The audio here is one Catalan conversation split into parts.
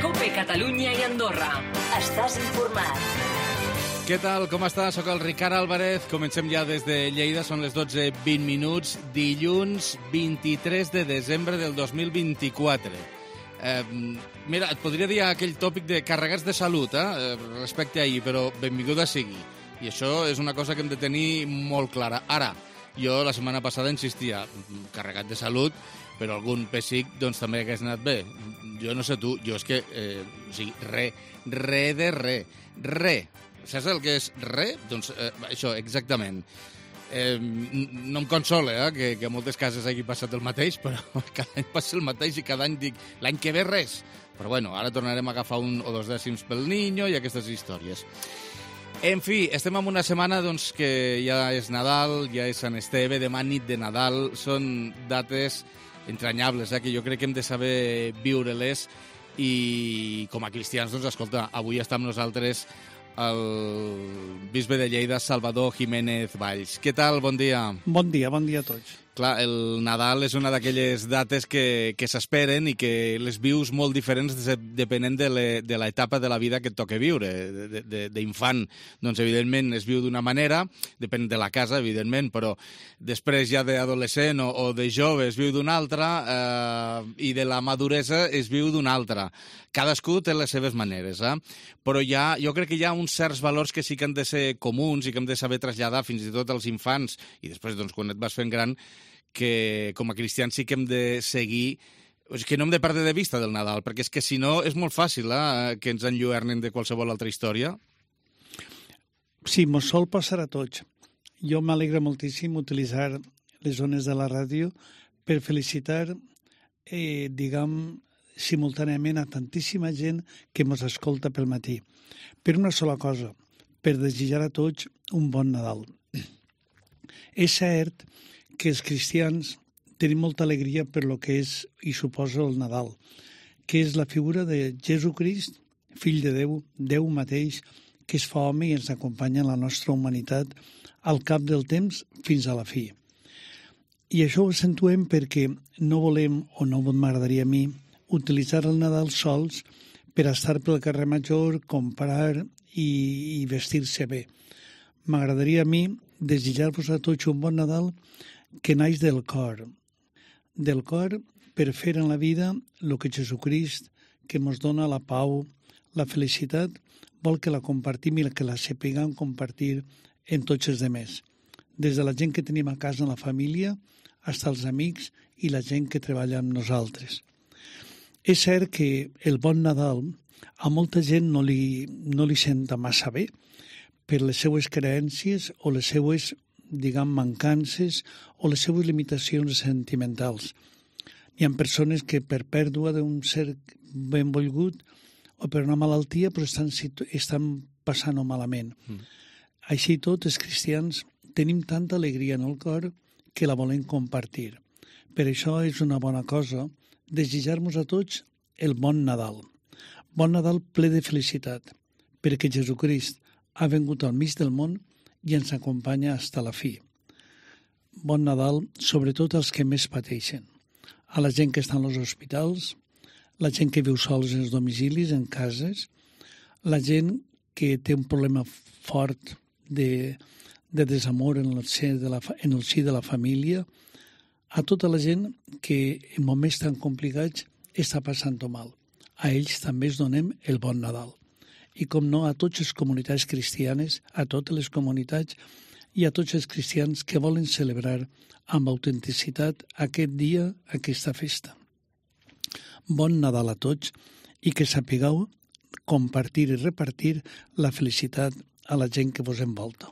COPE Catalunya i Andorra. Estàs informat. Què tal? Com estàs? Soc el Ricard Álvarez. Comencem ja des de Lleida. Són les 12:20, dilluns 23 de desembre del 2024. Mira, et podria dir aquell tòpic de carregats de salut, respecte a ahir, però benvinguda sigui. I això és una cosa que hem de tenir molt clara. Ara, jo la setmana passada insistia, carregat de salut, però algun pessic doncs també hagués anat bé. Jo no sé tu, jo és que, re. Saps el que és re? Doncs això, exactament. No em consola que a moltes cases hagi passat el mateix, però cada any passa el mateix i cada any dic, l'any que ve res. Però bueno, ara tornarem a agafar 1 o 2 dècims pel niño i aquestes històries. En fi, estem en una setmana doncs, que ja és Nadal, ja és Sant Esteve, demà nit de Nadal. Són dates entranyables, que jo crec que hem de saber viure-les. I com a cristians, doncs, escolta, avui està amb nosaltres el bisbe de Lleida, Salvador Jiménez Valls. Què tal? Bon dia. Bon dia a tots. Clar, el Nadal és una d'aquelles dates que s'esperen i que les vius molt diferents depenent de l'etapa de la vida que et toca viure. D'infant, doncs, evidentment, es viu d'una manera, depèn de la casa, evidentment, però després ja d'adolescent o de jove es viu d'una altra i de la maduresa es viu d'una altra. Cadascú té les seves maneres, però jo crec que hi ha uns certs valors que sí que han de ser comuns i que hem de saber traslladar fins i tot als infants i després, doncs, quan et vas fent gran, que com a cristians sí que hem de seguir, que no hem de perdre de vista del Nadal, perquè és que si no és molt fàcil que ens enlluernen de qualsevol altra història. Sí, mos sol passar a tots. Jo m'alegra moltíssim utilitzar les zones de la ràdio per felicitar, simultàniament a tantíssima gent que mos escolta pel matí. Per una sola cosa, per desitjar a tots un bon Nadal. És cert que els cristians tenim molta alegria per lo que és i suposa el Nadal, que és la figura de Jesucrist, fill de Déu, Déu mateix, que es fa home i ens acompanya en la nostra humanitat al cap del temps fins a la fi. I això ho accentuem perquè no volem, o no m'agradaria a mi, utilitzar el Nadal sols per estar pel carrer Major, comprar i vestir-se bé. M'agradaria a mi desitjar-vos a tots un bon Nadal que naix del cor per fer en la vida el que Jesucrist, que ens dona la pau, la felicitat, vol que la compartim i que la sapiguem compartir en tots els demés. Des de la gent que tenim a casa en la família, fins als amics i la gent que treballa amb nosaltres. És cert que el bon Nadal a molta gent no li senta massa bé per les seues creences o les seues mancances o les seues limitacions sentimentals. Hi ha persones que per pèrdua d'un ser benvolgut o per una malaltia però estan passant-ho malament. Així tot, els cristians tenim tanta alegria en el cor que la volem compartir. Per això és una bona cosa desitjar-nos a tots el bon Nadal. Bon Nadal ple de felicitat, perquè Jesucrist ha vengut al mig del món i ens acompanya fins a la fi. Bon Nadal, sobretot als que més pateixen. A la gent que està en els hospitals, la gent que viu sols en els domicilis, en cases, la gent que té un problema fort de desamor en el si de la família, a tota la gent que en moments tan complicats està passant-ho mal. A ells també els donem el bon Nadal. I com no, a totes les comunitats cristianes, a totes les comunitats i a tots els cristians que volen celebrar amb autenticitat aquest dia, aquesta festa. Bon Nadal a tots i que sapigueu compartir i repartir la felicitat a la gent que vos envolta.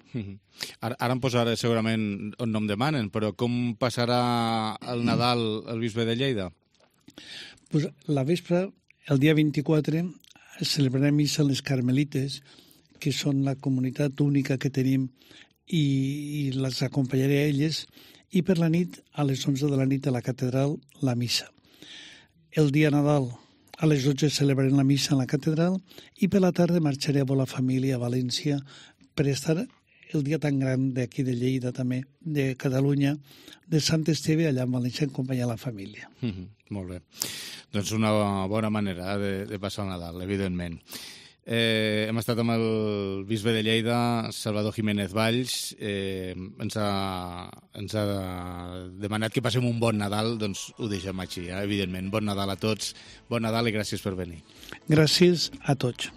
Ara em posaré segurament on no em demanen, però com passarà el Nadal el bisbe de Lleida? Pues la vespre, el dia 24, celebrarem missa les Carmelites, que són la comunitat única que tenim, i les acompanyaré a elles, i per la nit, a les 11 de la nit a la catedral, la missa. El dia Nadal, a les 12 celebrarem la missa en la catedral i per la tarda marxaré a la família a València per estar el dia tan gran d'aquí de Lleida també, de Catalunya, de Sant Esteve, allà en València, en companyia de la família. Molt bé. Doncs una bona manera de passar el Nadal, evidentment. Hem estat amb el bisbe de Lleida, Salvador Jiménez Valls. Ens ha demanat que passem un bon Nadal, doncs ho deixem així, evidentment. Bon Nadal a tots, bon Nadal i gràcies per venir. Gràcies a tots.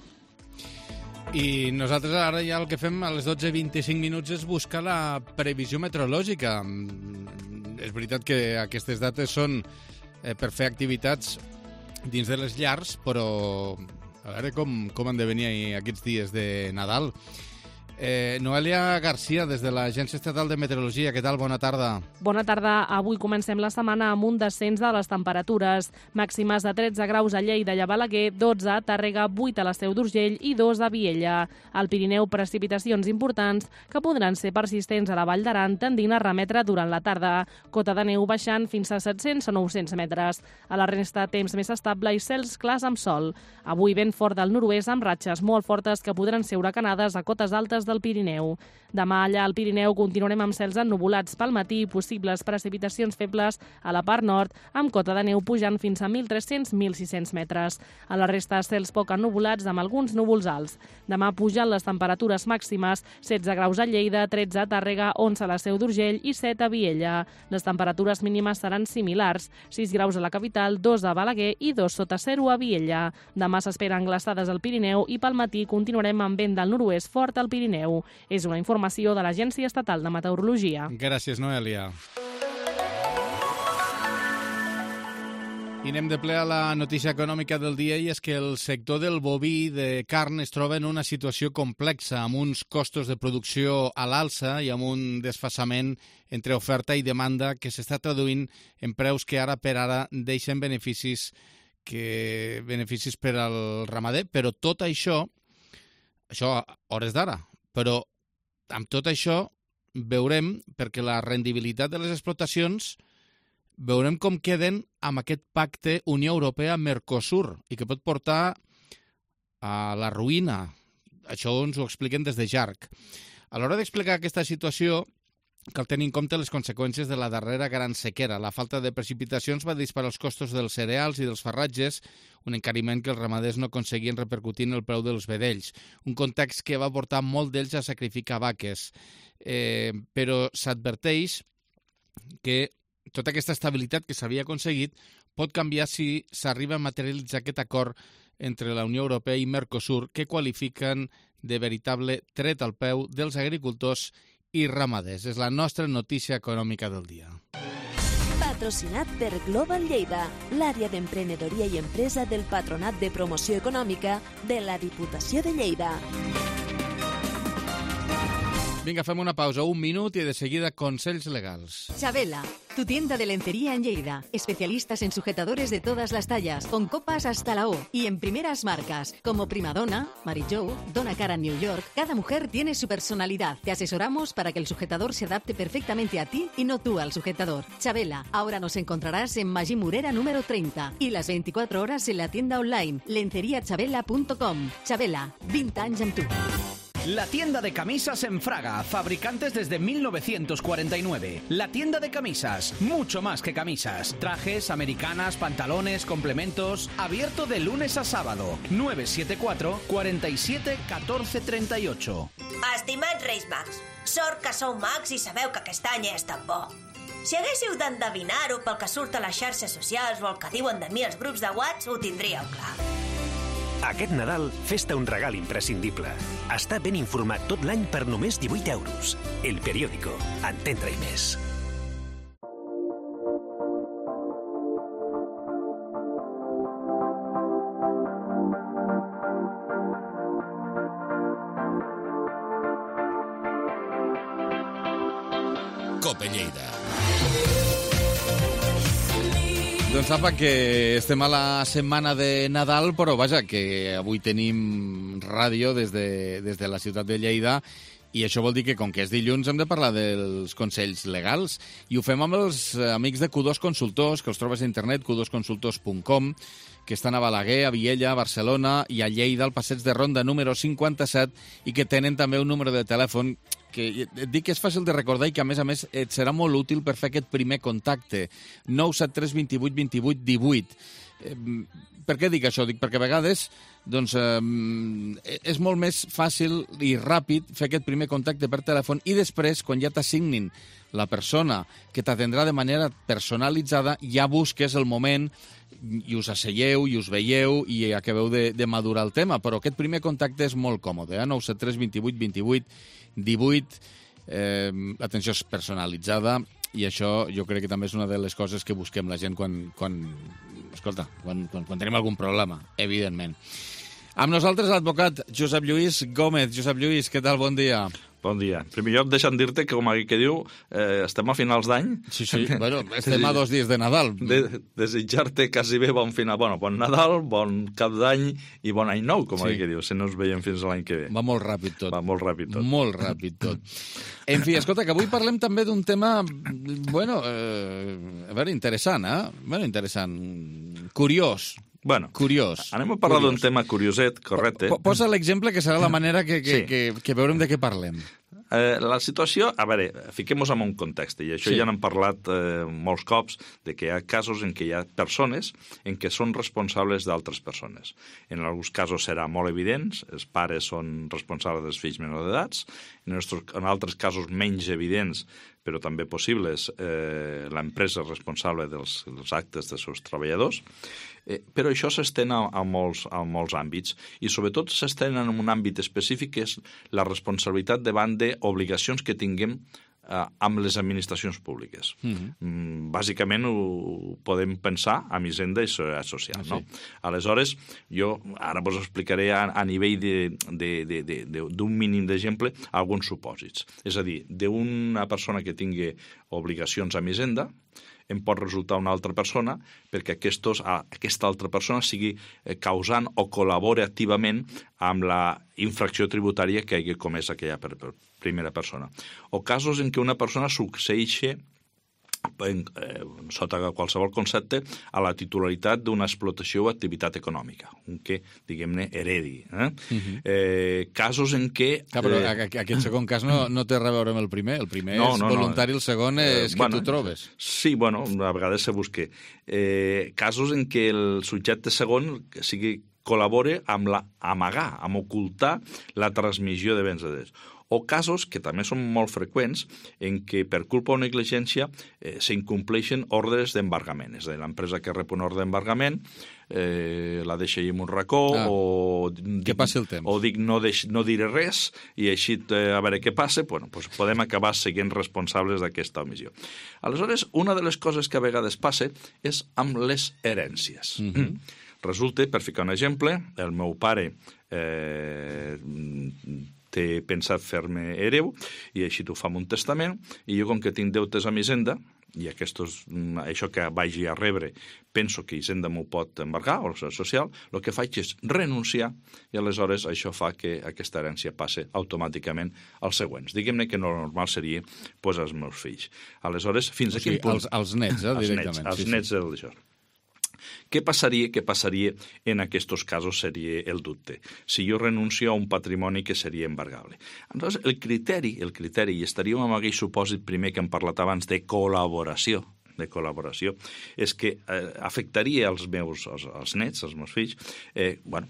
I nosaltres ara ja el que fem a les 12:25 minuts és buscar la previsió meteorològica. És veritat que aquestes dates són per fer activitats dins de les llars, però a veure com han de venir aquests dies de Nadal. Noelia García, des de l'Agència Estatal de Meteorologia. Què tal? Bona tarda. Bona tarda. Avui comencem la setmana amb un descens de les temperatures. Màximes de 13 graus a Lleida i a Balaguer, 12 a Tàrrega, 8 a la Seu d'Urgell i 2 a Viella. Al Pirineu, precipitacions importants que podran ser persistents a la Vall d'Aran, tendint a remetre durant la tarda. Cota de neu baixant fins a 700 o 900 metres. A la resta, temps més estable i cels clars amb sol. Avui vent fort del nord-oest amb ratxes molt fortes que podran ser huracanades a cotes altes del Pirineu. Demà allà al Pirineu continuarem amb cels ennuvolats pel matí i possibles precipitacions febles a la part nord, amb cota de neu pujant fins a 1.300-1.600 metres. A la resta, cels poc ennuvolats amb alguns núvols alts. Demà pugen les temperatures màximes, 16 graus a Lleida, 13 a Tàrrega, 11 a la Seu d'Urgell i 7 a Viella. Les temperatures mínimes seran similars, 6 graus a la capital, 2 a Balaguer i 2 sota 0 a Viella. Demà s'esperen glaçades al Pirineu i pel matí continuarem amb vent del nord-oest fort al Pirineu. És una informació de l'Agència Estatal de Meteorologia. Gràcies, Noelia. I anem de ple a la notícia econòmica del dia, i és que el sector del boví de carn es troba en una situació complexa, amb uns costos de producció a l'alça i amb un desfasament entre oferta i demanda que s'està traduint en preus que ara per ara deixen beneficis per al ramader, però tot això a hores d'ara, però amb tot això veurem, perquè la rendibilitat de les explotacions, veurem com queden amb aquest pacte Unió Europea-Mercosur i que pot portar a la ruïna. Això ens ho expliquen des de JARC. A l'hora d'explicar aquesta situació, cal tenir en compte les conseqüències de la darrera gran sequera. La falta de precipitacions va disparar els costos dels cereals i dels farratges, un encariment que els ramaders no aconseguien repercutir en el preu dels vedells. Un context que va portar molt d'ells a sacrificar vaques. Però s'adverteix que tota aquesta estabilitat que s'havia aconseguit pot canviar si s'arriba a materialitzar aquest acord entre la Unió Europea i Mercosur, que qualifiquen de veritable tret al peu dels agricultors i ramaders. És la nostra notícia econòmica del dia. Patrocinat per Global Lleida, l'àrea d'emprenedoria i empresa del Patronat de Promoció Econòmica de la Diputació de Lleida. Vinga, fem una pausa, un minut i de seguida consells legals. Chabela, tu tienda de lencería en Lleida. Especialistas en sujetadores de todas las tallas, con copas hasta la O y en primeras marcas, como Primadonna, Mary Jo, Donna Karan New York. Cada mujer tiene su personalidad. Te asesoramos para que el sujetador se adapte perfectamente a ti y no tú al sujetador. Chabela, ahora nos encontrarás en Magí Morera número 30 y las 24 horas en la tienda online lenceriachabela.com. Chabela, 20 anys amb tu. La tienda de camisas en Fraga, fabricantes desde 1949. La tienda de camisas, mucho más que camisas. Trajes, americanas, pantalones, complementos. Abierto de lunes a sábado. 974 47 14 38. Estimats Reis Mags, sort que sou mags i sabeu que aquest any és tan bo. Si haguéssiu d'endevinar-ho pel que surt a les xarxes socials o el que diuen de mi els grups de WhatsApp, ho tindríeu clar. Aquest Nadal, fes-te un regal imprescindible. Està ben informat tot l'any per només 18 euros. El Periódico. Entendre-hi més. Cope Lleida. Doncs apa, que estem a la setmana de Nadal, però vaja, que avui tenim ràdio des de la ciutat de Lleida I això vol dir que, com que és dilluns, hem de parlar dels consells legals. I ho fem amb els amics de Q2 Consultors, que els trobes a internet, q2consultors.com, que estan a Balaguer, a Viella, a Barcelona i a Lleida, al passeig de Ronda número 57, i que tenen també un número de telèfon que et dic que és fàcil de recordar i que, a més, et serà molt útil per fer aquest primer contacte. 973 28 28 18. Per què dic això? Dic perquè a vegades és molt més fàcil i ràpid fer aquest primer contacte per telèfon i després, quan ja t'assignin la persona que t'atendrà de manera personalitzada, ja busques el moment i us asseieu i us veieu i acabeu de madurar el tema. Però aquest primer contacte és molt còmode. 973 28 28 18. L'atenció és personalitzada i això jo crec que també és una de les coses que busquem la gent quan tenim algun problema, evidentment. Amb nosaltres l'advocat Josep Lluís Gómez. Josep Lluís, què tal? Bon dia. Bon dia. En primer lloc, deixa'm dir-te que, com aquell que diu, estem a finals d'any. Sí, bueno, estem a 2 dies de Nadal. Desitjar-te quasi bé bon final. Bueno, bon Nadal, bon cap d'any i bon any nou, com aquell que diu, si no ens veiem fins l'any que ve. Va molt ràpid tot. Va molt ràpid tot. Molt ràpid tot. En fi, escolta, que avui parlem també d'un tema, a veure, interessant, interessant, curiós. Bueno, curiós. Anem a parlar d'un tema curioset, correcte. Posa l'exemple, que serà la manera que veurem de què parlem. La situació, a veure, fiquem-nos en un context, i això ja n'hem parlat molts cops, de que hi ha casos en què hi ha persones en què són responsables d'altres persones. En alguns casos serà molt evident, els pares són responsables dels fills menors d'edats, en altres casos menys evidents, però també possibles, l'empresa és responsable dels actes dels seus treballadors, però això s'estén a molts àmbits, i sobretot s'estén en un àmbit específic que és la responsabilitat davant d'obligacions que tinguem amb les administracions públiques. Bàsicament ho podem pensar amb Hisenda i Seguretat Social. No? Aleshores, jo ara vos explicaré a nivell d'un mínim d'exemple alguns supòsits. És a dir, d'una persona que tingui obligacions amb Hisenda, em pot resultar una altra persona perquè aquesta altra persona sigui causant o col·labori activament amb la infracció tributària que hagi comès aquella primera persona. O casos en què una persona succeeixi sota qualsevol concepte a la titularitat d'una explotació o activitat econòmica, un que, diguem-ne, heredi. Casos en què... Però aquest segon cas no té res a veure amb el primer. El primer és voluntari, el segon és que tu trobes. Sí, bueno, a vegades se busca. Casos en què el subjecte segon col·labore amb amagar, amb ocultar la transmissió de béns de drets. O casos, que també són molt freqüents, en què per culpa o negligència s'incompleixen ordres d'embargament. És a dir, l'empresa que rep una ordre d'embargament la deixa en un racó o que passi el temps. O dic no diré res i així a veure què passa, doncs podem acabar sent responsables d'aquesta omissió. Aleshores, una de les coses que a vegades passa és amb les herències. Resulta, per ficar un exemple, el meu pare té pensat fer-me hereu i així t'ho fa amb un testament, i jo, com que tinc deutes amb Hisenda, i això que vagi a rebre penso que Hisenda m'ho pot embargar, o la Seguretat Social, el que faig és renunciar, i aleshores això fa que aquesta herència passe automàticament als següents. Diguem-ne que no normal seria als meus fills. Aleshores, fins a quin punt... als nets, directament. Els nets d'això. Què passaria en aquests casos seria el dubte. Si jo renuncio a un patrimoni que seria embargable. Aleshores, el criteri, i estaríem amb aquell supòsit primer que hem parlat abans de col·laboració, és que afectaria els nets, els meus fills,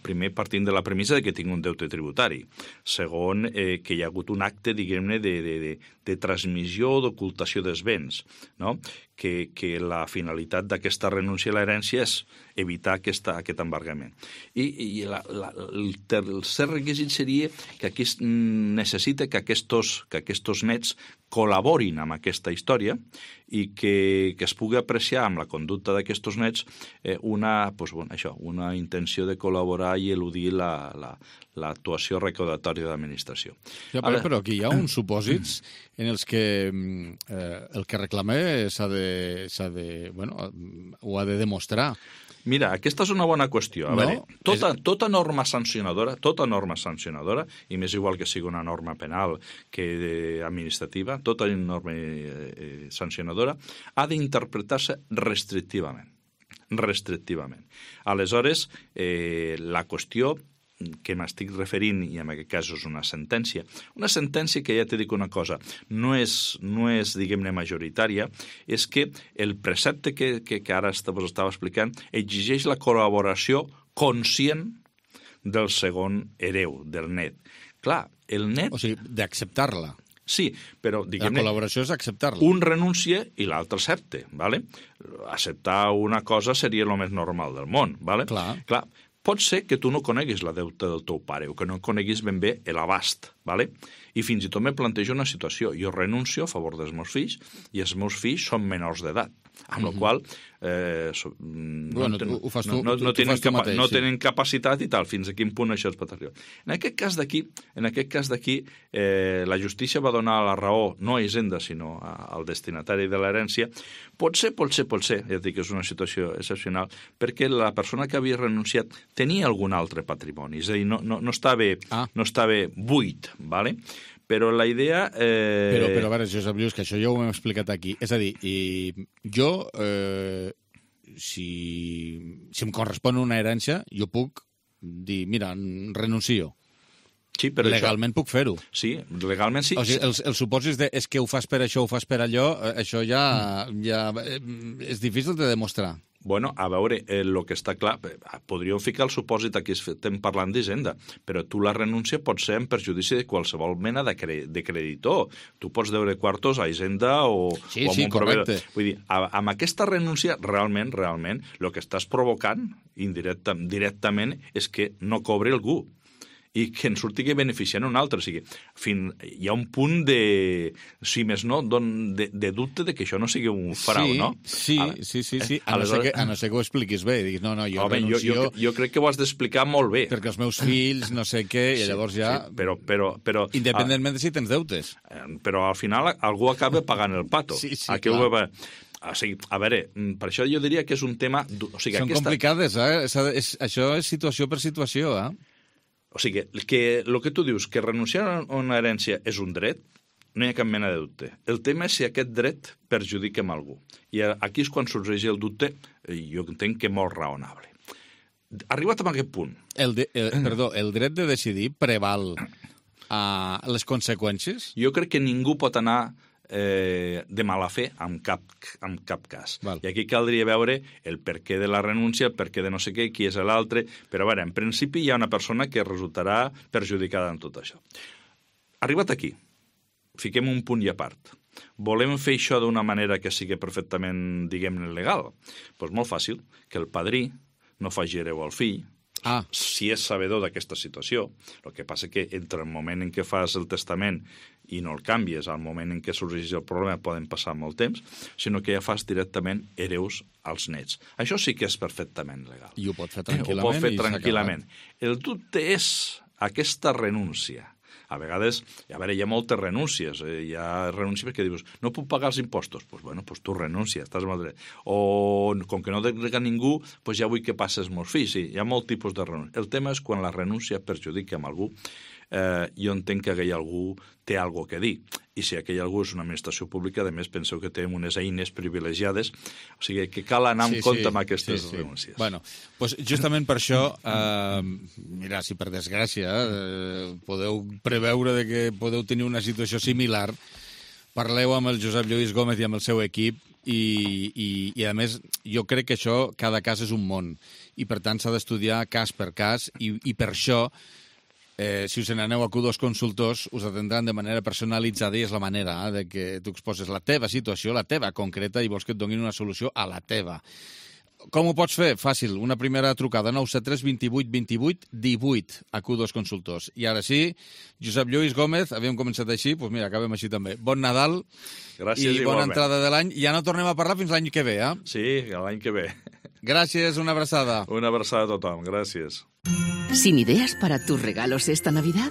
primer partint de la premissa que tinc un deute tributari, segon, que hi ha hagut un acte, diguem-ne, de transmissió o d'ocultació dels béns, no? Que la finalitat d'aquesta renúncia a l'herència és evitar aquest embargament. I el tercer requisit seria que aquí necessita que aquests nets col·laborin amb aquesta història i que es pugui apreciar amb la conducta d'aquests nets una intenció de col·laborar i eludir l'actuació recaudatòria de l'administració. Però aquí hi ha uns supòsits en els que el que reclama ho ha de demostrar. Mira, aquesta és una bona qüestió. A veure, tota norma sancionadora, i m'és igual que sigui una norma penal que administrativa, tota norma sancionadora ha d'interpretar-se restrictivament. Aleshores, la qüestió que m'estic referint, i en aquest cas és una sentència que ja t'he dit una cosa, no és diguem-ne, majoritària, és que el precepte que ara vos estava explicant exigeix la col·laboració conscient del segon hereu, del net. Clar, el net... O sigui, d'acceptar-la. Sí, però, diguem-ne... La col·laboració és acceptar-la. Un renuncia i l'altre accepta, ¿vale? Acceptar una cosa seria el més normal del món, ¿vale? Clar. Pot ser que tu no coneguis la deuta del teu pare o que no coneguis ben bé l'abast, ¿vale? I fins i tot me plantejo una situació. Jo renuncio a favor dels meus fills i els meus fills són menors d'edat, amb la qual no tenen capacitat i tal, fins a quin punt això es pot arribar. En aquest cas d'aquí, la justícia va donar la raó no a Hisenda, sinó al destinatari de l'herència. Pot ser, ja dic que és una situació excepcional, perquè la persona que havia renunciat tenia algun altre patrimoni, és a dir, no estava buit, ¿vale? Però la idea... Però a veure, Josep Lluís, que això ja ho hem explicat aquí. És a dir, jo, si em correspon una herència, jo puc dir, mira, renuncio. Sí, però legalment puc fer-ho. Sí, legalment sí. O sigui, els supòsits és que ho fas per això, ho fas per allò, això ja és difícil de demostrar. Bueno, a veure, el que està clar, podríem ficar el supòsit aquí, estem parlant d'Hisenda, però tu la renúncia pot ser en perjudici de qualsevol mena de creditor. Tu pots deure quartos a Hisenda o a un proveïdor. Vull dir, amb aquesta renúncia, realment, el que estàs provocant directament és que no cobri algú i que en surti que beneficien un altre. O sigui, hi ha un punt de, si més no, de dubte de que això no sigui un frau, no? Sí. A no ser que ho expliquis bé. Diguis, no, jo renuncio... Jo crec que ho has d'explicar molt bé. Perquè els meus fills, no sé què, i llavors ja... Però independentment de si tens deutes. Però al final algú acaba pagant el pato. Sí, clar. O sigui, a veure, per això jo diria que és un tema... Són complicades, Això és situació per situació, O sigui, que el que tu dius, que renunciar a una herència és un dret, no hi ha cap mena de dubte. El tema és si aquest dret perjudica a algú. I aquí és quan sorgeix el dubte, jo entenc que molt raonable. Arribat a aquest punt... El dret de decidir preval a les conseqüències? Jo crec que ningú pot anar de mala fe en cap cas. Val. I aquí caldria veure el perquè de la renúncia, el perquè de no sé què, qui és l'altre, però a veure, en principi hi ha una persona que resultarà perjudicada en tot això. Arribat aquí, fiquem un punt i a part. Volem fer això d'una manera que sigui perfectament, diguem-ne, legal? Doncs molt fàcil, que el padrí no faci hereu al fill, si és sabedor d'aquesta situació. El que passa que entre el moment en què fas el testament i no el canvies, al moment en què sorgeix el problema poden passar molt temps, sinó que ja fas directament hereus als nets. Això sí que és perfectament legal. I ho pot fer tranquil·lament. El dubte és aquesta renúncia. A vegades, hi ha moltes renúncies. Hi ha renúncies perquè dius, no puc pagar els impostos. Doncs tu renúncia, estàs amb el dret. O, com que no delega ningú, ja vull que passes els meus fills. Sí, hi ha molt tipus de renúncia. El tema és quan la renúncia perjudica amb algú. Jo entenc que aquell algú té alguna cosa a dir. I si aquell algú és una administració pública, a més, penseu que té unes eines privilegiades, o sigui que cal anar en compte amb aquestes renúncies. Bueno, doncs justament per això, mira, si per desgràcia podeu preveure que podeu tenir una situació similar, parleu amb el Josep Lluís Gómez i amb el seu equip i a més, jo crec que això, cada cas és un món i per tant s'ha d'estudiar cas per cas i per això si us n'aneu a Q2 Consultors us atendran de manera personalitzada i és la manera de que tu exposes la teva situació, la teva concreta i vols que et donin una solució a la teva. Com ho pots fer? Fàcil, una primera trucada 973 28 28 18 a Q2 Consultors. I ara sí, Josep Lluís Gómez, havíem començat així, doncs mira, acabem així també. Bon Nadal. Gràcies, i bona entrada de l'any. Ja no tornem a parlar fins l'any que ve, Sí, l'any que ve. Gràcies, una abraçada. Una abraçada a tothom, gràcies. ¿Sin ideas para tus regalos esta Navidad?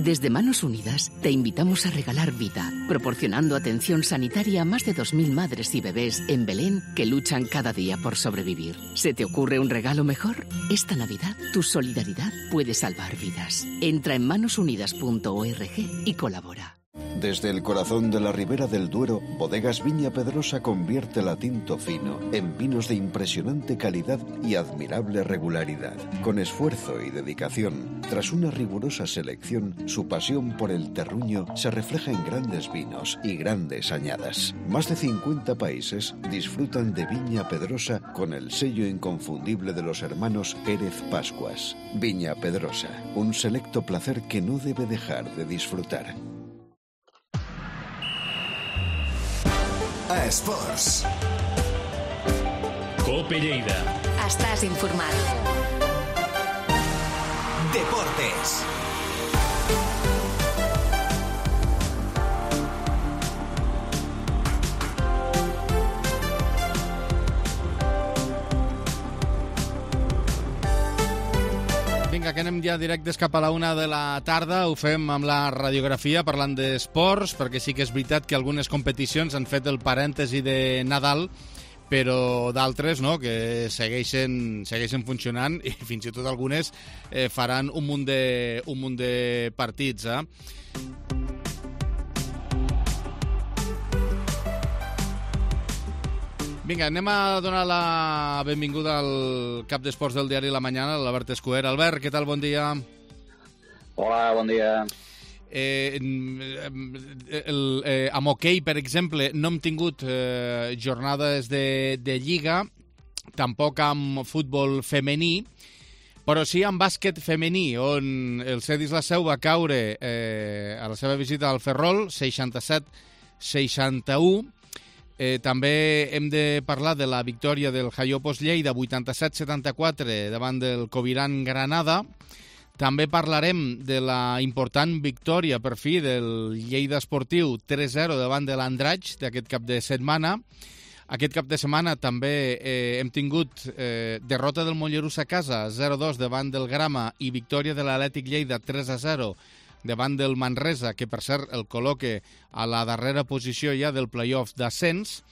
Desde Manos Unidas te invitamos a regalar vida, proporcionando atención sanitaria a más de 2.000 madres y bebés en Belén que luchan cada día por sobrevivir. ¿Se te ocurre un regalo mejor? Esta Navidad, tu solidaridad puede salvar vidas. Entra en manosunidas.org y colabora. Desde el corazón de la Ribera del Duero, Bodegas Viña Pedrosa convierte la tinto fino en vinos de impresionante calidad y admirable regularidad. Con esfuerzo y dedicación, tras una rigurosa selección, su pasión por el terruño se refleja en grandes vinos y grandes añadas. Más de 50 países disfrutan de Viña Pedrosa con el sello inconfundible de los hermanos Pérez Pascuas. Viña Pedrosa, un selecto placer que no debe dejar de disfrutar. A Esports. Cope Lleida. Estàs informat. Deportes. Vinga, que anem ja directes cap a la 1 de la tarda. Ho fem amb la radiografia, parlant d'esports, perquè sí que és veritat que algunes competicions han fet el parèntesi de Nadal, però d'altres no, que segueixen funcionant i fins i tot algunes faran un munt de partits. Vinga, anem a donar la benvinguda al cap d'esports del diari La Mañana, l'Albert Escuer. Albert, què tal? Bon dia. Hola, bon dia. Amb hoquei, per exemple, no hem tingut jornades de lliga, tampoc amb futbol femení, però sí amb bàsquet femení, on el Cedis la Seu va caure a la seva visita al Ferrol, 67-61. També hem de parlar de la victòria del Jaiopos Lleida, 87-74, davant del Coviran Granada. També parlarem de la important victòria, per fi, del Lleida Esportiu, 3-0 davant de l'Andratx d'aquest cap de setmana. Aquest cap de setmana també hem tingut derrota del Mollerús a casa, 0-2 davant del Grama, i victòria de l'Atlètic Lleida, 3-0 davant del Manresa, que per cert el col·loque a la darrera posició ja del play-off d'ascens.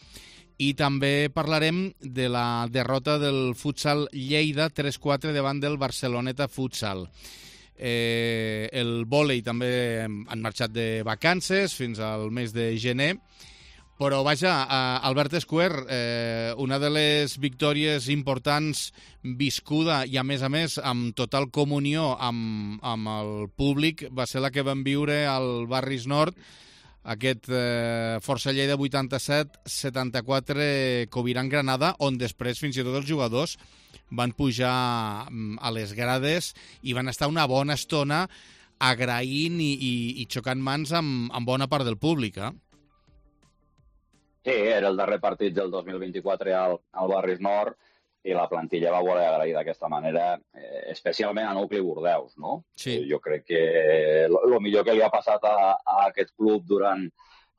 I també parlarem de la derrota del Futsal Lleida 3-4 davant del Barceloneta Futsal. El vòlei també han marxat de vacances fins al mes de gener. Però, vaja, Albert Escuer, una de les victòries importants viscuda i, a més, amb total comunió amb el públic va ser la que vam viure al Barris Nord, aquest Força Lleida 87-74 Coviran Granada, on després fins i tot els jugadors van pujar a les grades i van estar una bona estona agraint i xocant mans amb bona part del públic, Sí, era el darrer partit del 2024 al Barris Nord i la plantilla va voler agrair d'aquesta manera, especialment a Nucli Bordeus, no? Sí. Jo crec que el millor que li ha passat a aquest club durant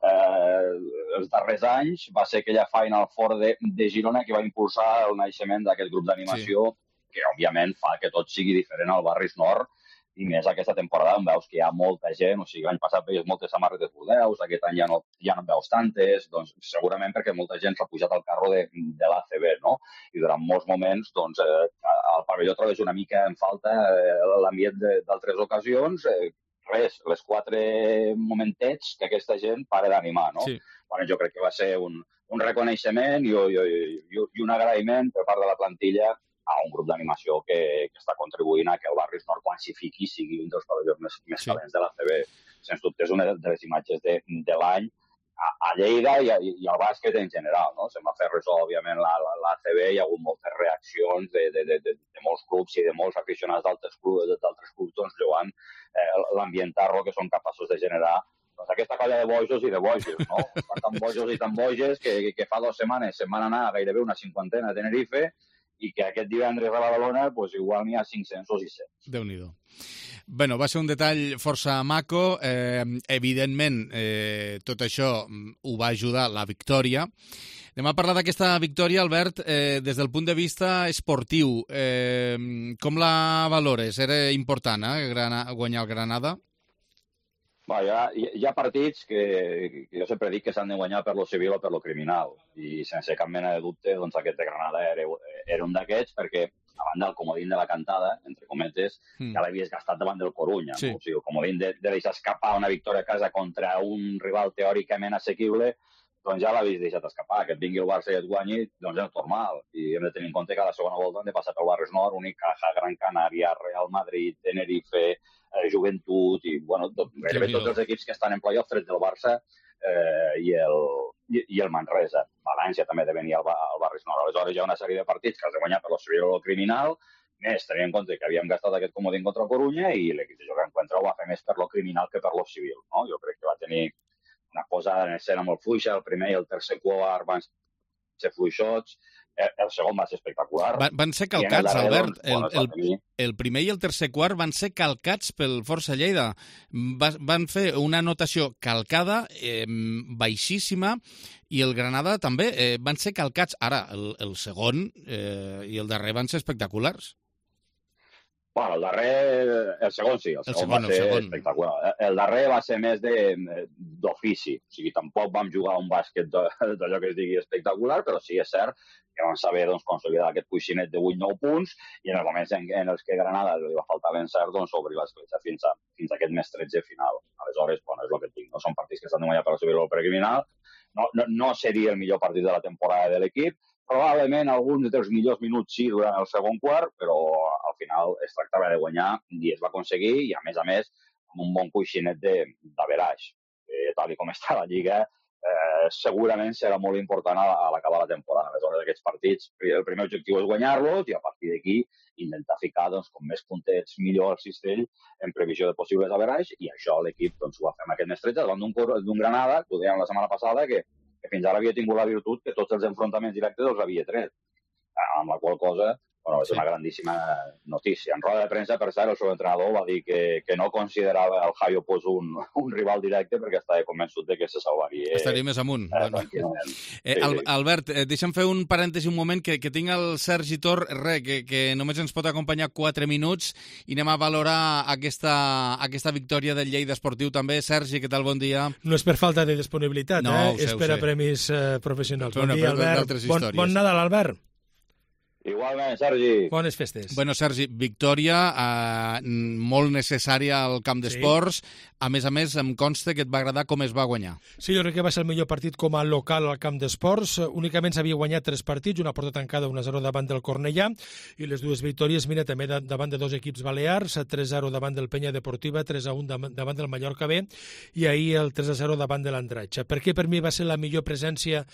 els darrers anys va ser aquella Final Four de Girona que va impulsar el naixement d'aquest grup d'animació, que òbviament fa que tot sigui diferent al Barris Nord, i més aquesta temporada on veus que hi ha molta gent, o sigui, l'any passat veies moltes samarretes Bordeus, aquest any ja no en veus tantes, doncs segurament perquè molta gent s'ha pujat al carro de l'ACB, no? I durant molts moments, doncs, al pavelló trobes una mica en falta l'ambient d'altres ocasions, res, les 4 momentets que aquesta gent para d'animar, no? Sí. Bueno, jo crec que va ser un reconeixement i un agraïment per part de la plantilla a un grup d'animació que està contribuint a que el Barris Nord, quan s'hi fiqui, sigui un dels pavellons més calents de l'ACB. Sens dubte és una de les imatges de l'any a Lleida i al bàsquet en general, no? Se'n va fer ressò, òbviament, l'ACB, hi ha hagut moltes reaccions de molts clubs i de molts aficionats d'altres clubs, doncs, lloant l'ambientarro que són capaços de generar aquesta colla de bojos i de bojos, no? Tan bojos i tan boges que fa 2 setmanes se'n van anar a gairebé una 50 a Tenerife i que aquest divendres a Badalona pues, igual n'hi ha 500 o 600. Déu-n'hi-do. Bueno, va ser un detall força maco. Evidentment, tot això ho va ajudar la victòria. Anem a parlar d'aquesta victòria, Albert, des del punt de vista esportiu. Com la valores? Era important, guanyar el Granada? Hi ha partits que jo sempre dic que s'han de guanyar per lo civil o per lo criminal, i sense cap mena de dubte doncs aquest de Granada era un d'aquests, perquè a banda del comodín de la cantada, entre cometes, ja l'havies gastat davant del Corunya. Sí. No? O sigui, el comodín de deixar escapar una victòria a casa contra un rival teòricament assequible, doncs ja l'havies deixat escapar. Que et vingui el Barça i et guanyi, doncs és normal. I hem de tenir en compte que a la segona volta hem de passar pel Barris Nord, Unicaja, Gran Canària, Real Madrid, Tenerife, Joventut, i bueno, gairebé tots els equips que estan en playoff, tret del Barça i el Manresa. València també de venir al Barris Nord. Aleshores hi ha una sèrie de partits que has de guanyar per lo civil o criminal, més tenint en compte que havíem gastat aquest comodín contra el Corunya i l'equip de Joan Encuentra ho va fer més per lo criminal que per lo civil. No? Jo crec que va tenir una posada en escena molt fluixa, el primer i el tercer quart van ser fluixots, el segon va ser espectacular. Van ser calcats, Albert. El primer i el tercer quart van ser calcats pel Força Lleida. Van fer una anotació calcada, baixíssima, i el Granada també. Van ser calcats. Ara, el segon i el darrer van ser espectaculars. Bueno, el segon sí, el segon va ser espectacular. El darrer va ser més d'ofici, o sigui, tampoc vam jugar un bàsquet d'allò que es digui espectacular, però sí, és cert que vam saber consolidar aquest coixinet de 8-9 punts i en els moments en els que Granada li va faltar l'encert, obrir l'escletxa fins a aquest més 13 final. Aleshores, bueno, és el que et dic, no són partits que s'han de guanyar per subir el precriminal, no seria el millor partit de la temporada de l'equip, probablement alguns dels millors minuts sí durant el segon quart, però al final es tractava de guanyar i es va aconseguir, i a més, amb un bon coixinet d'averaix. Tal com està la Lliga, segurament serà molt important a l'acabar la temporada. Aleshores, aquests partits, el primer objectiu és guanyar-los i a partir d'aquí intentar ficar com més puntets millor al cistell en previsió de possibles averaix, i això l'equip ho va fer amb aquest mestretge davant d'un Granada, que ho dèiem la setmana passada, que fins ara havia tingut la virtut que tots els enfrontaments directes els havia tret. Amb la qual cosa, és una grandíssima notícia. En roda de premsa, per cert, el seu entrenador va dir que no considerava el Javi Opus un rival directe perquè estava convençut de que se salvaria. Estaria més amunt. Albert, deixa'm fer un parèntesi un moment, que tinc el Sergi Tor, que només ens pot acompanyar 4 minuts i anem a valorar aquesta victòria del Lleida Esportiu també. Sergi, què tal? Bon dia. No és per falta de disponibilitat, és per a premis professionals. Bon dia, Albert. Bon Nadal, Albert. Igualment, Sergi. Bones festes. Bueno, Sergi, victòria molt necessària al Camp d'Esports. A més, em consta que et va agradar com es va guanyar. Sí, jo crec que va ser el millor partit com a local al Camp d'Esports. Únicament s'havia guanyat 3 partits, una porta tancada, 1-0 davant del Cornellà, i les dues victòries, mira, també davant de 2 equips balears, 3-0 davant del Penya Deportiva, 3-1 davant del Mallorca B, i ahir el 3-0 davant de l'Andratx. Per què per mi va ser la millor presència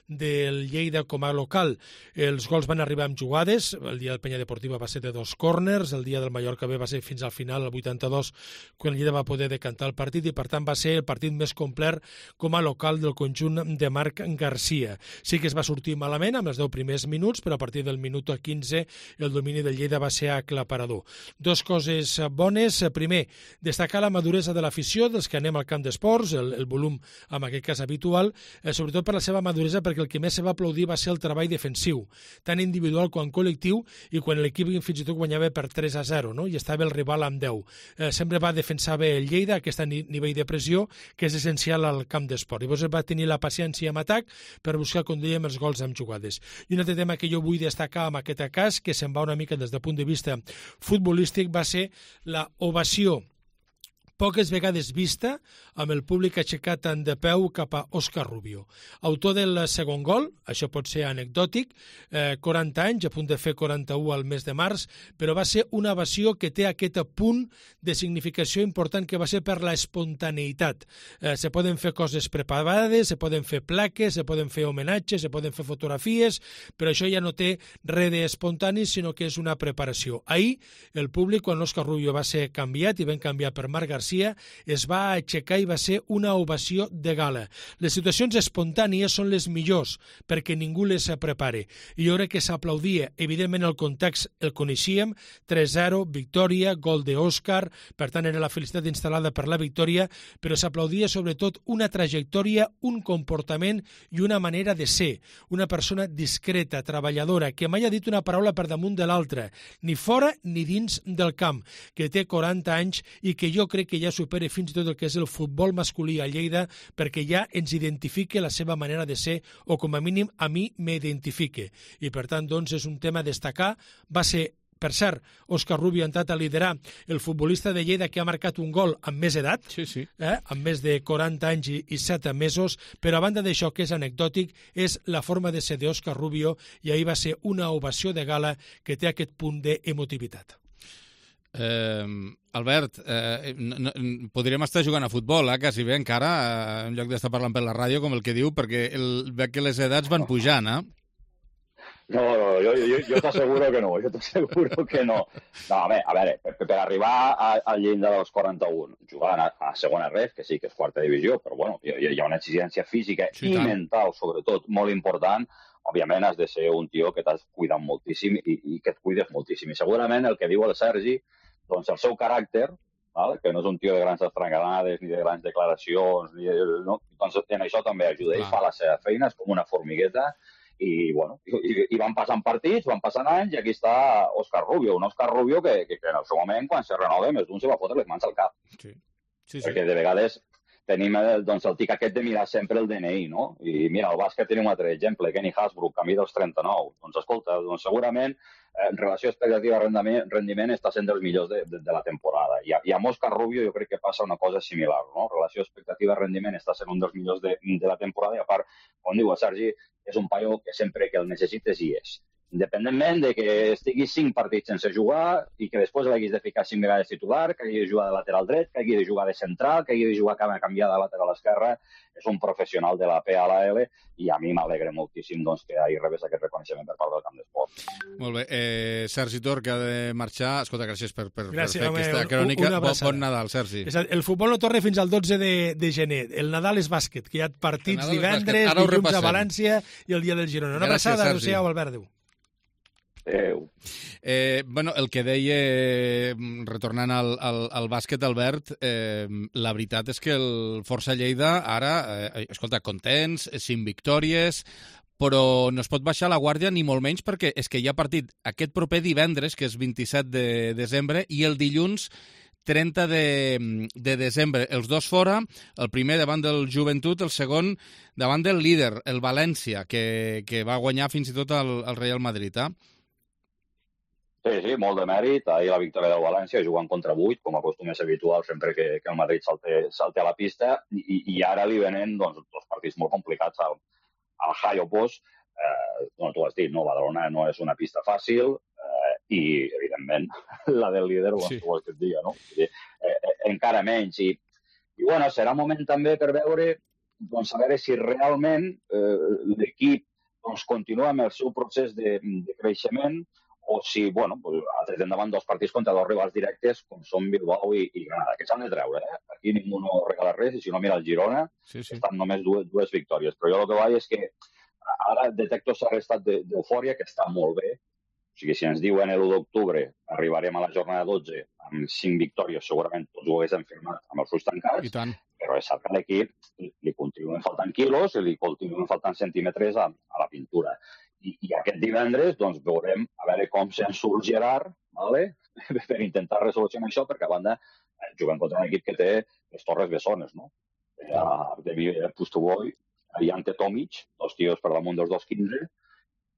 del Lleida com a local? Els gols van arribar amb jugades, el dia del Penya Deportiva va ser de 2 córners, el dia del Mallorca B va ser fins al final, el 82, quan el Lleida va poder decantar el partit, i per tant va ser el partit més complet com a local del conjunt de Marc Garcia. Sí que es va sortir malament amb els 10 primers minuts, però a partir del minut 15 el domini del Lleida va ser aclaparador. 2 coses bones. Primer, destacar la maduresa de l'afició dels que anem al Camp d'Esports, el volum en aquest cas habitual, sobretot per la seva maduresa, perquè el que més se va aplaudir va ser el treball defensiu, tant individual com col·lectiu, i quan l'equip fins i tot guanyava per 3-0, no? I estava el rival amb 10. Sempre va defensar bé el Lleida, aquest nivell de pressió que és essencial al Camp d'Esport. Llavors va tenir la paciència amb atac per buscar, com dèiem, els gols amb jugades. I un altre tema que jo vull destacar en aquest cas, que se'n va una mica des del punt de vista futbolístic, va ser la ovació poques vegades vista, amb el públic aixecat tant de peu cap a Òscar Rubio. Autor del segon gol, això pot ser anecdòtic, 40 anys, a punt de fer 41 al mes de març, però va ser una ovació que té aquest punt de significació important, que va ser per la espontaneïtat. Se poden fer coses preparades, se poden fer plaques, se poden fer homenatges, se poden fer fotografies, però això ja no té res d'espontani, sinó que és una preparació. Ahir, el públic, quan l'Òscar Rubio va ser canviat i van canviar per Marc Garcia, es va aixecar i va ser una ovació de gala. Les situacions espontànies són les millors perquè ningú les prepare. I jo crec que s'aplaudia. Evidentment el context el coneixíem, 3-0, victòria, gol d'Òscar, per tant era la felicitat instal·lada per la victòria, però s'aplaudia sobretot una trajectòria, un comportament i una manera de ser. Una persona discreta, treballadora, que mai ha dit una paraula per damunt de l'altra, ni fora ni dins del camp, que té 40 anys i que jo crec que que ja supere fins i tot el que és el futbol masculí a Lleida, perquè ja ens identifique la seva manera de ser, o com a mínim a mi m'identifique. I per tant, doncs, és un tema a destacar. Va ser, per cert, Òscar Rubio ha entrat a liderar el futbolista de Lleida que ha marcat un gol amb més edat, amb més de 40 anys i 7 mesos, però a banda d'això, que és anecdòtic, és la forma de ser d'Òscar Rubio, i ahir va ser una ovació de gala que té aquest punt d'emotivitat. Albert, podríem estar jugant a futbol, quasi bé encara, en lloc d'estar parlant per la ràdio, com el que diu, perquè veig que les edats van pujant, No, jo t'asseguro que no, No, a veure, per arribar al llindar dels 41, jugant a segona ref, que sí que és quarta divisió, però bueno, hi ha una exigència física i mental, sobretot, molt important. Òbviament has de ser un tio que t'has cuidat moltíssim i que et cuides moltíssim. I segurament el que diu el Sergi, doncs el seu caràcter, que no és un tio de grans estrangalades ni de grans declaracions, doncs en això també ajuda. Ell fa la seva feina, és com una formigueta. I van passant partits, van passant anys, i aquí està Òscar Rubio, un Òscar Rubio que en el seu moment, quan se renova, més d'un se va fotre les mans al cap. Perquè de vegades tenim el tic aquest de mirar sempre el DNI, no? I mira, al bàsquet tenim un altre exemple, Kenny Hasbrook, camí dels 39. Doncs escolta, segurament en relació expectativa-rendiment està sent dels millors de la temporada. I amb Òscar Rubio jo crec que passa una cosa similar, no? Relació expectativa-rendiment està sent un dels millors de la temporada, i a part, com diu el Sergi, és un paio que sempre que el necessites hi és. Independentment de que estiguis 5 partits sense jugar i que després l'haguis de ficar 5 vegades titular, que hagi de jugar de lateral dret, que hagi de jugar de central, que hagi de jugar canviar de lateral esquerra, és un professional de la P a la L, i a mi m'alegra moltíssim que ahir rebés aquest reconeixement per part del camp d'esport. Molt bé. Sergi Tor, que ha de marxar. Escolta, gràcies per fer aquesta crònica. Bon Nadal, Sergi. El futbol no torna fins al 12 de gener. El Nadal és bàsquet, que hi ha partits divendres, dilluns a València i el dia del Girona. Una abraçada, adéu-siau, Albert, adéu. El que deia, retornant al bàsquet, Albert, la veritat és que el Força Lleida ara, escolta, contents, 5 victòries, però no es pot baixar la guàrdia ni molt menys, perquè és que hi ha partit aquest proper divendres, que és 27 de desembre, i el dilluns 30 de desembre. Els dos fora, el primer davant del Joventut, el segon davant del líder, el València, que va guanyar fins i tot el Real Madrid, Sí, molt de mèrit. Ahir la victòria del València jugant contra 8, com acostuma a ser habitual sempre que el Madrid salta a la pista, i ara li venen dos partits molt complicats al Hayo Post. Tu has dit, Badalona no és una pista fàcil, i, evidentment, la del líder, vols que et diga, no? Encara menys. I serà un moment també per veure si realment l'equip continua amb el seu procés de creixement, o si, ha tret endavant 2 partits contra 2 rivals directes, com són Bilbao i Granada, que s'han de treure, Aquí ningú no regala res, i si no mira el Girona, estan només 2 victòries. Però jo el que vaig és que ara detecto cert estat d'eufòria, que està molt bé. O sigui, si ens diuen l'1 d'octubre arribarem a la jornada 12 amb 5 victòries, segurament tots ho haguéssim firmat amb els ulls tancats, però és cert que a l'equip li continuen faltant quilos i li continuen faltant centímetres a la pintura. I aquest divendres veurem a veure com se'n surt Gerard, per intentar resolucionar això, perquè a banda juguem contra un equip que té les Torres Bessones, no? De Pustovoy, i Ante Tomic, 2 tios per damunt dels 2'15",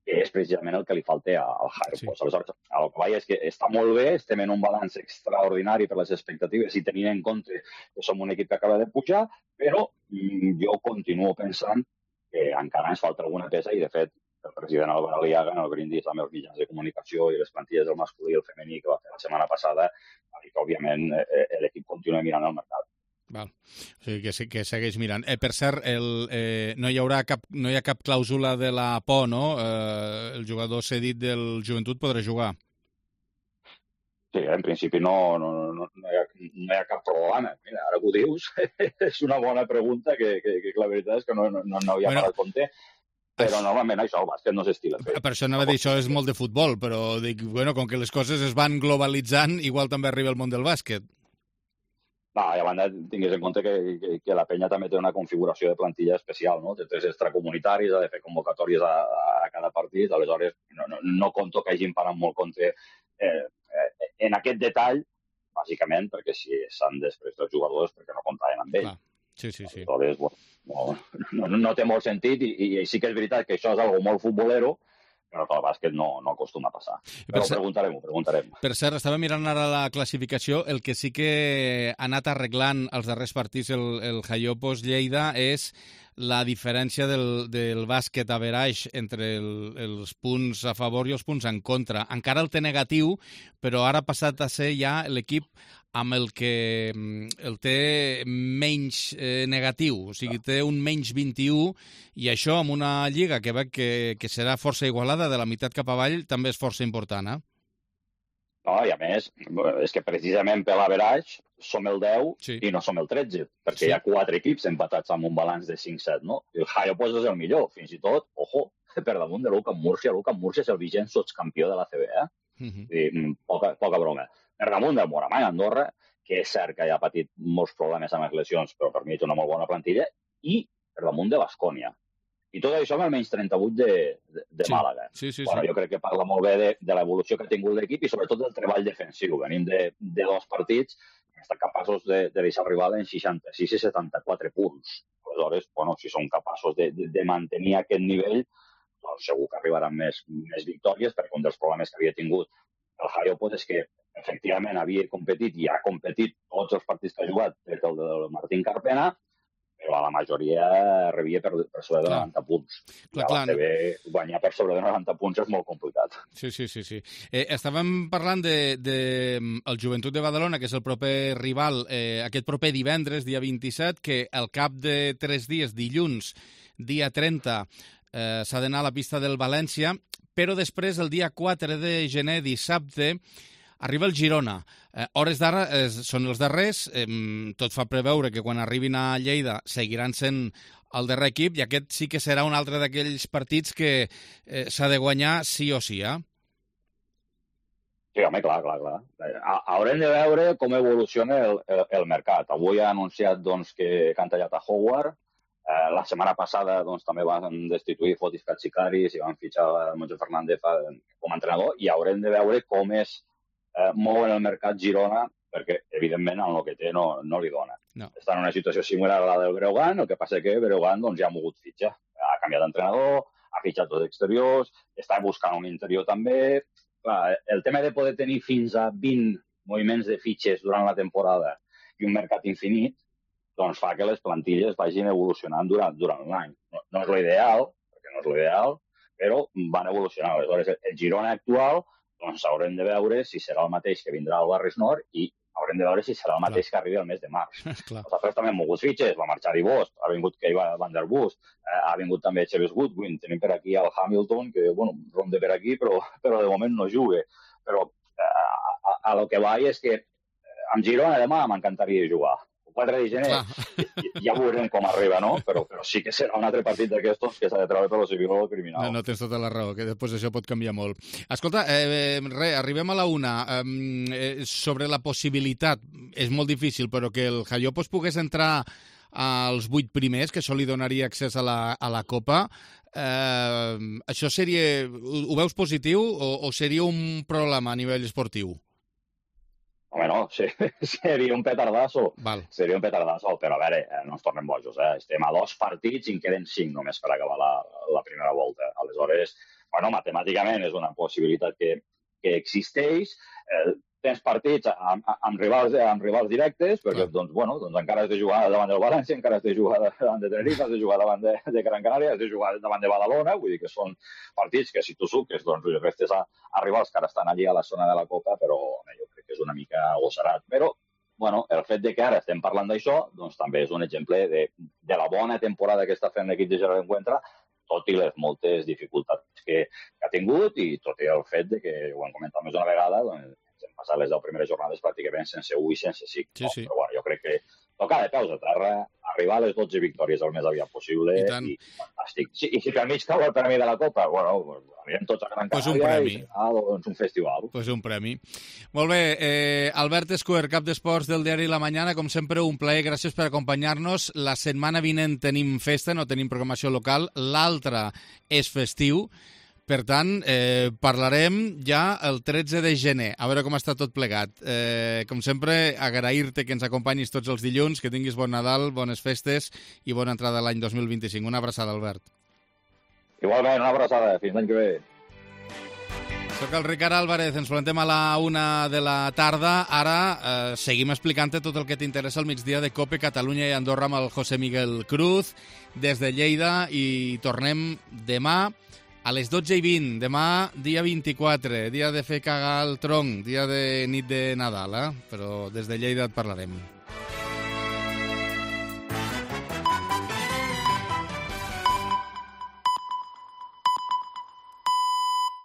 que és precisament el que li falta al Hayo Post. Aleshores, el que vaig és que està molt bé, estem en un balanç extraordinari per les expectatives i tenint en compte que som un equip que acaba de pujar, però jo continuo pensant que encara ens falta alguna peça, i de fet el president Álvaro Aliaga, en el brindis amb els mitjans de comunicació i les plantilles del masculí i el femení que va fer la setmana passada, va dir que, òbviament, l'equip continua mirant al mercat. Val. O sigui, que segueix mirant. Per cert, no hi ha cap clàusula de la por, no? El jugador cedit del Joventut podrà jugar. Sí, en principi no hi ha cap problema. Mira, ara que ho dius, és una bona pregunta que la veritat és que no havia parat compte. Però normalment això, el bàsquet no s'estila. Per això anava a dir, això és molt de futbol, però dic, com que les coses es van globalitzant, igual també arriba el món del bàsquet. No, i a banda tinguis en compte que la penya també té una configuració de plantilla especial, no? Té 3 extracomunitaris, ha de fer convocatòries a cada partit, aleshores no conto que hagin parat molt compte en aquest detall, bàsicament perquè si s'han després dels jugadors perquè no comptaven amb ell. Sí. Aleshores, no té molt sentit i sí que és veritat que això és algo molt futbolero, però que el bàsquet no acostuma a passar. Però ho preguntarem. Per cert, estava mirant ara la classificació, el que sí que ha anat arreglant els darrers partits el Jaiopos Lleida és la diferència del bàsquet average entre els punts a favor i els punts en contra. Encara el té negatiu, però ara ha passat a ser ja l'equip amb el que el té menys negatiu, o sigui, té un menys 21, i això amb una lliga que veig que serà força igualada de la meitat cap avall també és força important, eh? No, i a més, és que precisament per l'average som el 10 i no som el 13, perquè hi ha 4 equips empatats amb un balanç de 5-7, no? El Jaiopos és el millor, fins i tot, ojo, per damunt de l'UCAM Múrcia. L'UCAM Múrcia és el vigent sotscampió de la CB, poca broma. Per damunt del Moramany, Andorra, que és cert que ja ha patit molts problemes amb les lesions, però per mi és una molt bona plantilla, i per damunt de Baskonia. I tot això amb el menys 38 de Màlaga. Bueno, jo crec que parla molt bé de l'evolució que ha tingut l'equip i sobretot del treball defensiu. Venim de 2 partits que estan capaços de deixar el rival en 66 i 74 punts. Aleshores, bueno, si són capaços de mantenir aquest nivell, doncs segur que arribaran més victòries, perquè un dels problemes que havia tingut el Jaiopos és que efectivament havia competit i ha competit tots els partits que ha jugat des del Martín Carpena, però a la majoria rebia per sobre de 90 punts. I a la CB guanyar per sobre de 90 punts és molt complicat. Sí. Estàvem parlant del Joventut de Badalona, que és el proper rival, aquest proper divendres, dia 27, que al cap de 3 dies, dilluns, dia 30, s'ha d'anar a la pista del València, però després, el dia 4 de gener, dissabte, arriba el Girona. Hores d'ara són els darrers. Tot fa preveure que quan arribin a Lleida seguiran sent el darrer equip i aquest sí que serà un altre d'aquells partits que s'ha de guanyar sí o sí, eh? Sí, home, clar. Haurem de veure com evoluciona el mercat. Avui ha anunciat que han tallat a Howard. La setmana passada també van destituir Fotis Katsikaris i van fitxar a Moncho Fernández com a entrenador i haurem de veure com es mou en el mercat Girona, perquè evidentment en el que té no li dona. Està en una situació similar a la del Breogán, el que passa que Breogán ja ha mogut fitxa. Ha canviat d'entrenador, ha fitxat dos exteriors, està buscant un interior també. Clar, el tema de poder tenir fins a 20 moviments de fitxes durant la temporada i un mercat infinit, doncs fa que les plantilles vagin evolucionant durant l'any. No és l'ideal, perquè no és l'ideal, però van evolucionant. Aleshores, el Girona actual, doncs haurem de veure si serà el mateix que vindrà al Barris Nord i haurem de veure si serà el mateix que arribi al mes de març. Nosaltres també hem mogut fitxes, va marxar Ivost, ha vingut Keiva Van der Bust, ha vingut també Chaves Goodwin, tenim per aquí el Hamilton, que, ronda per aquí, però de moment no juga. Però a lo que va és que amb Girona demà m'encantaria jugar. El 4 de gener ja veurem com arriba, no? Però sí que serà un altre partit d'aquestos que s'ha de treure per lo civil o lo criminal. No, tens tota la raó, que després això pot canviar molt. Escolta, arribem a la una. Sobre la possibilitat, és molt difícil, però que el Jaiopos pogués entrar als 8 primers, que això li donaria accés a la Copa, això seria... Ho veus positiu o seria un problema a nivell esportiu? Home, no, seria un petardasso. Seria un petardasso, però a veure, no ens tornem bojos, Estem a 2 partits i en queden 5 només per acabar la primera volta. Aleshores, matemàticament és una possibilitat que existeix. Tens partits amb rivals directes, perquè encara has de jugar davant del València, encara has de jugar davant de Tenerife, has de jugar davant de Gran Canària, has de jugar davant de Badalona, vull dir que són partits que si tu suques, doncs jo crec que estàs a rivals que ara estan allí a la zona de la Copa, però jo crec que és una mica agossarat. Però, el fet de que ara estem parlant d'això, doncs també és un exemple de la bona temporada que està fent l'equip de Gerard Encuentra, tot i les moltes dificultats que ha tingut i tot i el fet de que, ho hem comentat més d'una vegada, doncs hem passat les 10 primeres jornades pràcticament sense 1 i sense 5. Sí. Però jo crec que tocar de peus a terra, arribar a les 12 victòries el més aviat possible i fantàstic. I si per mig cau el premi de la Copa, anirem tots a Gran Canària i serà un festival. Pues un premi. Molt bé, Albert Escuer, cap d'esports del diari La Mañana, com sempre un plaer, gràcies per acompanyar-nos. La setmana vinent tenim festa, no tenim programació local, l'altra és festiu, Per tant, parlarem ja el 13 de gener, a veure com està tot plegat. Com sempre, agrair-te que ens acompanyis tots els dilluns, que tinguis bon Nadal, bones festes i bona entrada a l'any 2025. Una abraçada, Albert. Igualment, una abraçada. Fins l'any que ve. Soc el Ricard Álvarez, ens plantem a la 1 de la tarda. Ara seguim explicant-te tot el que t'interessa al migdia de COPE Catalunya i Andorra amb el José Miguel Cruz des de Lleida i tornem demà a les 12:20. Demà, dia 24, dia de fer cagar el tronc, dia de nit de Nadal, però des de Lleida et parlarem.